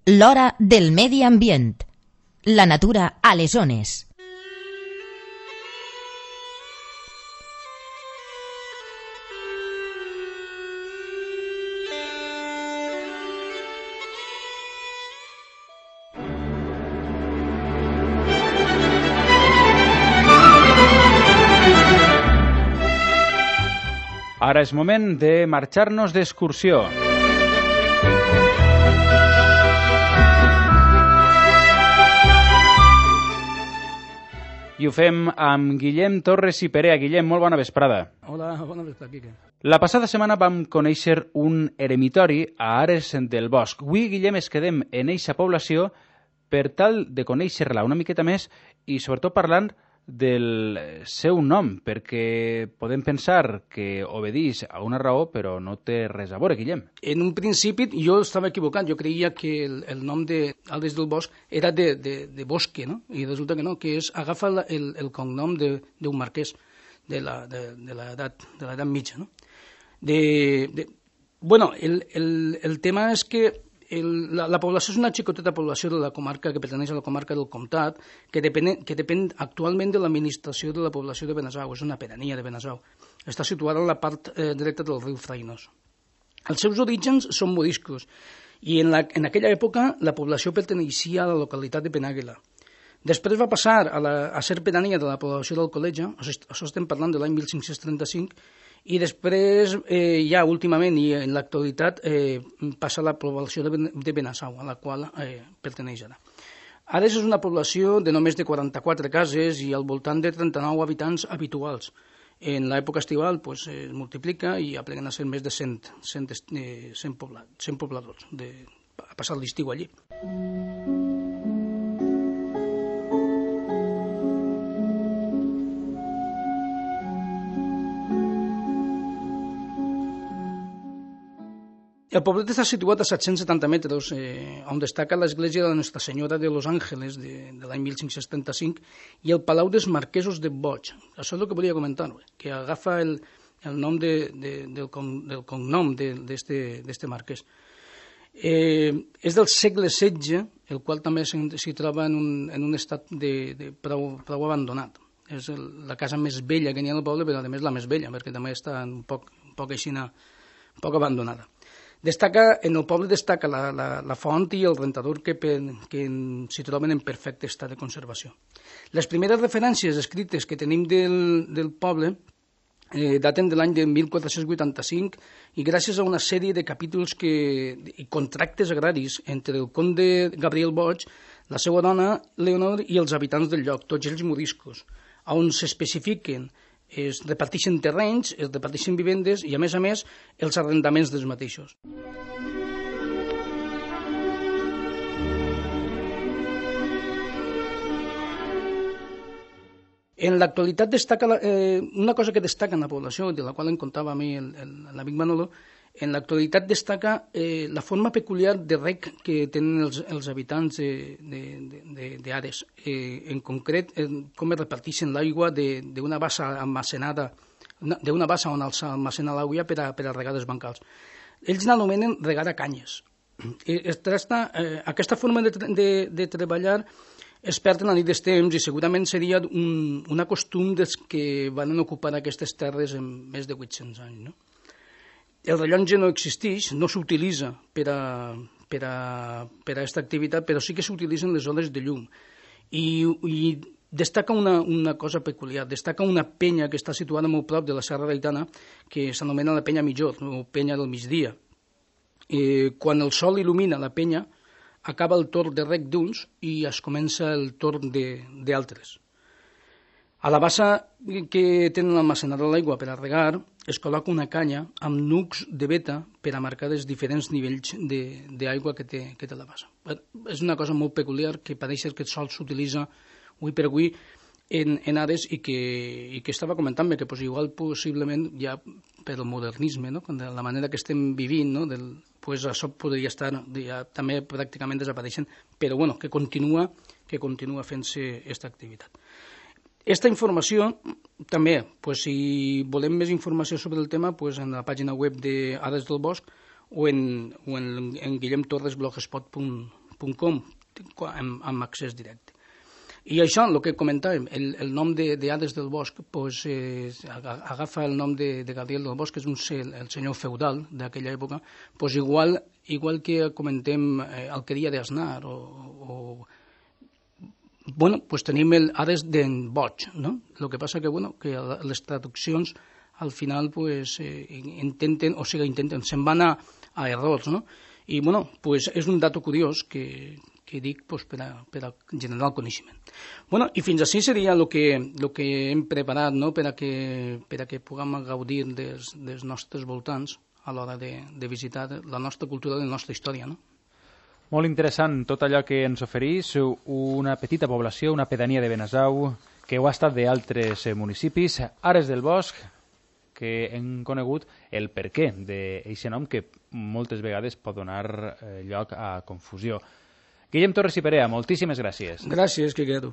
L'hora del medi ambient. La natura a les ones. Ara és moment de marxar-nos d'excursió. I ho fem amb Guillem Torres i Perea. Guillem, molt bona vesprada. Hola, bona vesprada, Quique. La passada setmana vam conèixer un eremitori a Ares del Bosc. Avui, Guillem, es quedem en eixa població per tal de conèixer-la una miqueta més i sobretot parlant del seu nom, perquè podem pensar que obedeix a una raó, però no té res a veure, Guillem. En un principi jo estava equivocat, jo creia que el nom d'Ares del Bosc era de bosque, no? I resulta que no, que agafa el cognom d'un marquès de l'edat mitja, no? Bueno, el tema és que la població és una xicoteta població de la comarca que pertaneix a la comarca del Comtat, que depèn actualment de l'administració de la població de Benasau, és una pedania de Benasau. Està situada en la part dreta del riu Frainós. Els seus orígens són moriscos i en aquella època la població perteneixia a la localitat de Penàguila. Després va passar a ser pedania de la població d'Alcoleja, això estem parlant de l'any 1535, i després, ja últimament i en l'actualitat, passa a la població de Benasau, a la qual perteneix ara. Ares és una població de només de 44 cases i al voltant de 39 habitants habituals. En l'època estival es multiplica i apleguen a ser més de 100 pobladors, a passar l'estiu allí. El poblet està situat a 770 metres, on destaca l'església de Nostra Senyora de Los Ángeles de l'any 1575 i el Palau dels Marquesos de Boig. Això és el que volia comentar, que agafa el nom del cognom d'este marquès. És del segle XVI, el qual també s'hi troba en un estat prou abandonat. És la casa més vella que n'hi ha al poble, però a més la més vella, perquè també està un poc abandonada. En el poble destaca la font i el rentador que s'hi troben en perfecte estat de conservació. Les primeres referències escrites que tenim del poble daten de l'any de 1485 i gràcies a una sèrie de capítols i contractes agraris entre el comte Gabriel Boig, la seva dona Leonor i els habitants del lloc, tots ells moriscos, on s'especifiquen es reparteixen terrenys, es reparteixen vivendes i, a més, els arrendaments dels mateixos. En l'actualitat destaca una cosa que destaca en la població, de la qual em contava a mi l'amic Manolo. En l'actualitat destaca la forma peculiar de reg que tenen els habitants d'Ares. En concret, com es reparteixen l'aigua d'una bassa almacenada, d'una bassa on s'almacena l'aigua per a regar els bancals. Ells l'anomenen regar a canyes. Aquesta forma de treballar es perd en la nit dels temps i segurament seria un costum dels que van ocupar aquestes terres en més de 800 anys, no? El rellotge no existeix, no s'utilitza per a aquesta activitat, però sí que s'utilitzen les hores de llum. I destaca una cosa peculiar, destaca una penya que està situada molt prop de la Serra d'Aitana, que s'anomena la penya Millor, o penya del migdia. Quan el sol il·lumina la penya, acaba el torn de reg d'uns i es comença el torn d'altres. A la bassa que tenen almacenada l'aigua per a regar es col·loca una canya amb nucs de veta per a marcar els diferents nivells d'aigua que té la bassa. És una cosa molt peculiar que pareix que el sol s'utilitza avui per avui en Ares i que estava comentant-me que igual possiblement ja per el modernisme, no? De la manera que estem vivint, no? Això podria estar ja també pràcticament desapareixent, però bueno, que continua fent-se aquesta activitat. Aquesta informació també, si volem més informació sobre el tema, en la pàgina web d'Ares del Bosc o en guillemtorresblogspot.com .com amb accés directe. I això, el que comentàvem, el nom d'Ares del Bosc agafa el nom de Gabriel del Bosc, que és el senyor feudal d'aquella època, igual que comentem Alqueria d'Aznar tenim el Ares d'en Boig, no? El que passa que les traduccions al final intenten, se'n van a errors, no? I és un dato curiós que dic per a generar el coneixement. I fins així seria el que hem preparat per a que puguem gaudir dels nostres voltants a l'hora de visitar la nostra cultura i la nostra història, no? Molt interessant tot allò que ens oferís, una petita població, una pedania de Benasau, que ho ha estat d'altres municipis, Ares del Bosc, que hem conegut el perquè d'aquest nom que moltes vegades pot donar lloc a confusió. Guillem Torres i Perea, moltíssimes gràcies. Gràcies, Quiqueto.